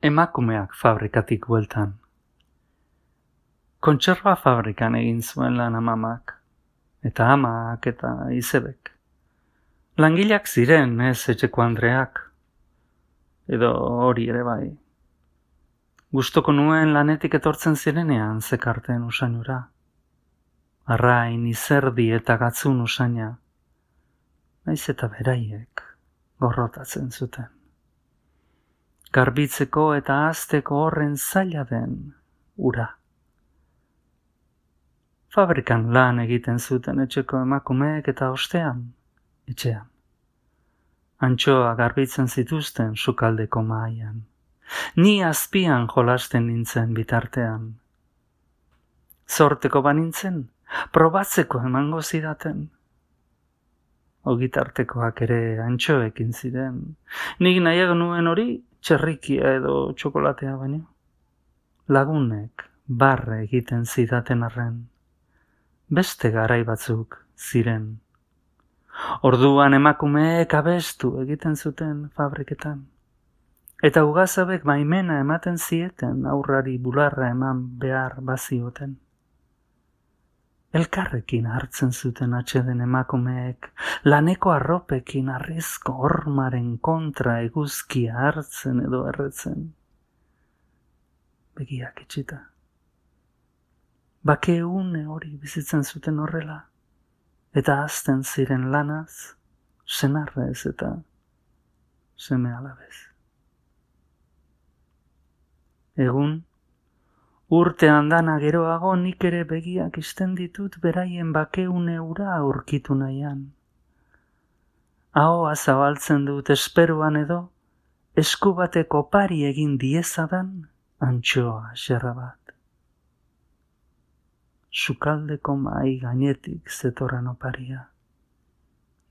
Emakumeak fabrikatik bueltan. Kontserba fabrikan egin zuen lan amamak, eta amak eta izebek. Langileak ziren, ez etxeko andreak, edo hori ere bai. Gustoko nuen lanetik etortzen zirenean zekarten usainura. Arrain, izerdi eta gatzun usaina, naiz eta beraiek gorrotatzen zuten. Garbitzeko eta ahazteko horren zaila den ura. Fabrikan lan egiten zuten etxeko emakumeek eta ostean, etxean. Antxoa garbitzen zituzten sukaldeko mahaian. Ni azpian jolasten nintzen bitartean. Zorteko banintzen, probatzeko emango zidaten. Ogitartekoak ere antxoekin ziren. Nik nahiago nuen hori txerrikia edo txokolatea baino. Lagunek barre egiten zidaten arren. Beste garai batzuk ziren. Orduan emakumeek abestu egiten zuten fabriketan. Eta ugazabek baimena ematen zieten aurrari bularra eman behar bazioten. Elkarrekin hartzen zuten atseden emakumeek, laneko arropekin arrizko hormaren kontra eguzkia hartzen edo erretzen. Begiak itxita. Bake une hori bizitzen zuten horrela, eta hazten ziren lanaz, senarrez eta seme alabez. Egun, urte andana geroago nik ere begiak isten ditut beraien bakeune ura aurkitu nahian. Ahoa zabaltzen dut esperuan edo, esku bateko pari egin diezadan antxoa xerra bat. Sukaldeko mahai gainetik zetorren oparia.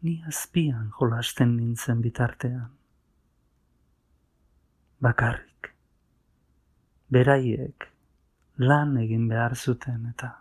Ni azpian jolasten nintzen bitartean. Bakarrik. Beraiek lan egin behar zuten eta